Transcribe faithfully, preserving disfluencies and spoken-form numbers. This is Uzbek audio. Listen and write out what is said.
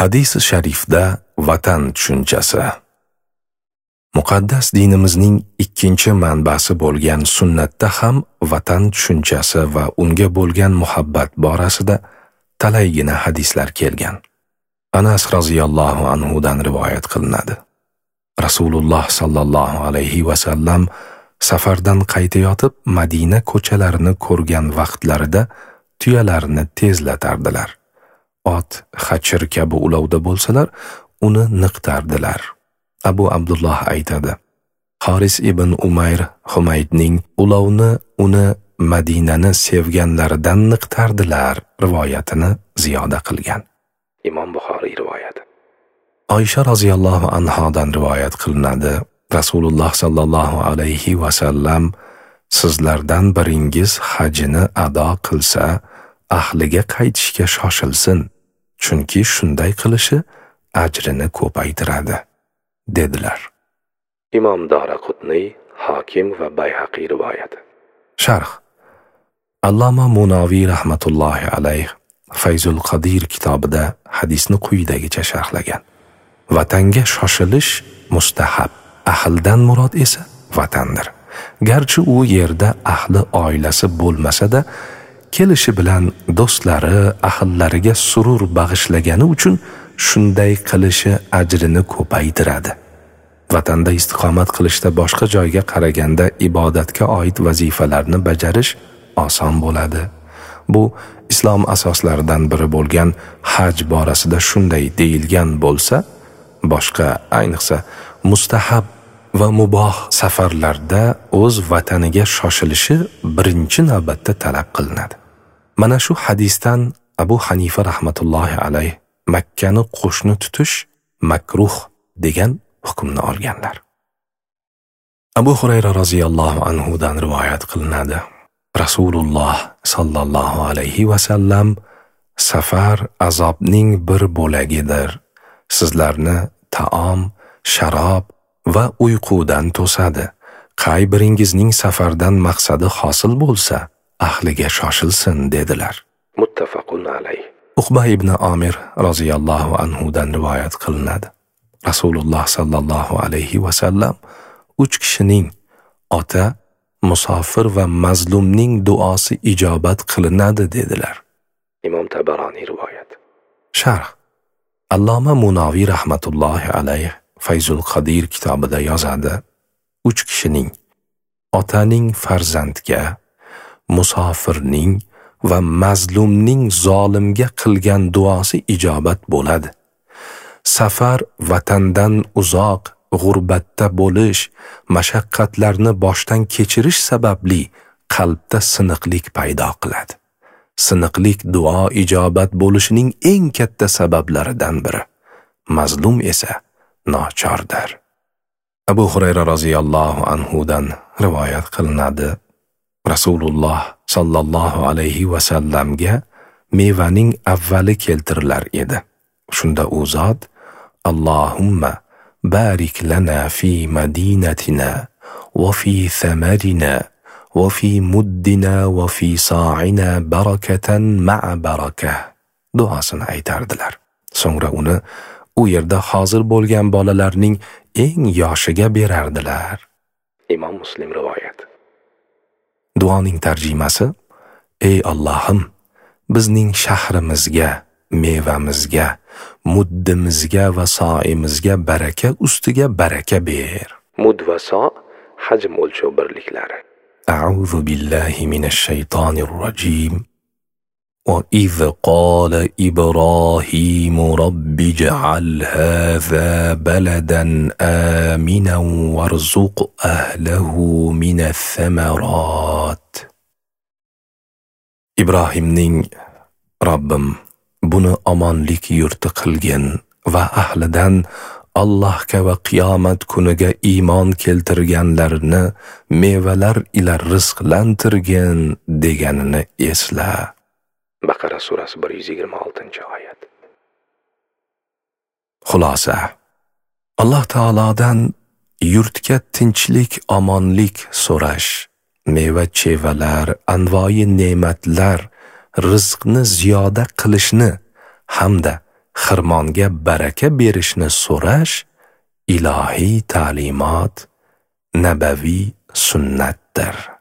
Hadis-i sharifda vatan tushunchasi. Muqaddas dinimizning ikkinchi manbasi bo'lgan sunnatda ham vatan tushunchasi va unga bo'lgan muhabbat borasida talaygina hadislar kelgan. Anas roziyallohu anhu dan rivoyat qilinadi. Rasululloh sallallohu alayhi va sallam safardan qaytayotib Madina ko'chalarini ko'rgan vaqtlarida tuyalarni tezlatardilar. Ot, xachir kabi ulovda bo'lsalar, uni niqtardilar. Abu Abdulloh aytadi: Haris ibn Umayr Humaydning ulovni uni Madinani sevganlaridan niqtardilar rivoyatini ziyoda qilgan. Imom Buxoriy rivoyati. Oysha roziyallohu anhodan rivoyat qilinadi. Rasululloh sallallohu alayhi va sallam sizlardan biringiz hajini ado qilsa, ahliga qaytishga shoshilsin, chunki shunday qilishi ajrini ko'paytiradi, dedilar. Imom Doraqutniy, Hokim va Bayhaqiy rivoyati. Sharh. Alloma Munoviy rahmatullohi alayh Fayzul Qodir kitobida hadisni quyidagicha sharhlagan. Vatanga shoshilish mustahab, ahldan murod esa vatandir. Garchi u yerda ahli oilasi bo'lmasa-da, kelishi bilan do'stlari, ahllariga surur bag'ishlagani uchun shunday qilishi ajrini ko'paytiradi. Vatanda istiqomat qilishda boshqa joyga qaraganda ibodatga oid vazifalarni bajarish oson bo'ladi. Bu islom asoslaridan biri bo'lgan haj borasida shunday deyilgan bo'lsa, boshqa, ayniqsa mustahab va muboh safarlarda o'z vataniga shoshilishi birinchi navbatda talab qilinadi. Mana shu hadisdan Abu Hanifa rahmatullohi alayh Makkani qo'shni tutish makruh degan hukmni olganlar. Abu Hurayra roziyallohu anhu dan rivoyat qilinadi. Rasululloh sallallohu alayhi va sallam safar azobning bir bo'lagidir. Sizlarni taom, sharob va uyqudan to'sadi. Qay biringizning safardan maqsadi hosil bo'lsa, ahliga shoshilsin, dedilar. Muttafaqun alayh. Uqba ibn Amir roziyallohu anhu dan rivoyat qilinadi. Rasululloh sallallohu alayhi va sallam uch kishining ota, musofir va mazlumning duosi ijobat qilinadi, dedilar. Imom Tabaroniy rivoyat. Sharh. Alloma Munoviy rahmatullohi alayh Fayzul Qodir kitobida yozadi: uch kishining, otaning farzandga, musofirning va mazlumning zolimga qilgan duosi ijobat bo'ladi. Safar vatandan uzoq, g'urbatda bo'lish, mashaqqatlarni boshdan kechirish sababli qalbda siniqlik paydo qiladi. Siniqlik duo ijobat bo'lishining eng katta sabablaridan biri. Mazlum esa nochordir. Abu Hurayra roziyallohu anhu dan rivoyat qilinadi. Rasululloh sallallohu alayhi va sallamga mevaning avvali keltirilar edi. Shunda u zot: Allohumma barik lana fi madinatina va fi thamarina va fi muddina va fi sa'ina barakatan ma'a barakah duosini aytardilar. So'ngra uni u yerda hozir bo'lgan bolalarning eng yoshiga berardilar. Imom Muslim rivoyat. Duoning tarjimasi: Ey Allohim, bizning shahrimizga, mevamizga, muddimizga va soimizga baraka ustiga baraka ber. Mud va so hajm o'lchov birliklari. A'udhu billahi minash shaytonir rojim. وَإِذْ قَالَ إِبْرَاهِيمُ رَبِّ اجْعَلْ هَذَا بَلَدًا آمِنًا وَارْزُقْ أَهْلَهُ مِنَ الثَّمَرَاتِ. Ibrohimning Robbim, buni omonlik yurti qilgin va ahlidan Allohga va qiyomat kuniga iymon keltirganlarni mevalar ila rizqlantirgin deganini esla. Baqara surasi bir yuz yigirma oltinchi oyat. Xulosa: Alloh taolodan yurtga tinchlik, omonlik so'rash, meva-chevalar, anvoyi ne'matlar, rizqni ziyoda qilishni hamda xirmonga baraka berishni so'rash ilohiy ta'limot, nabaviy sunnatdir.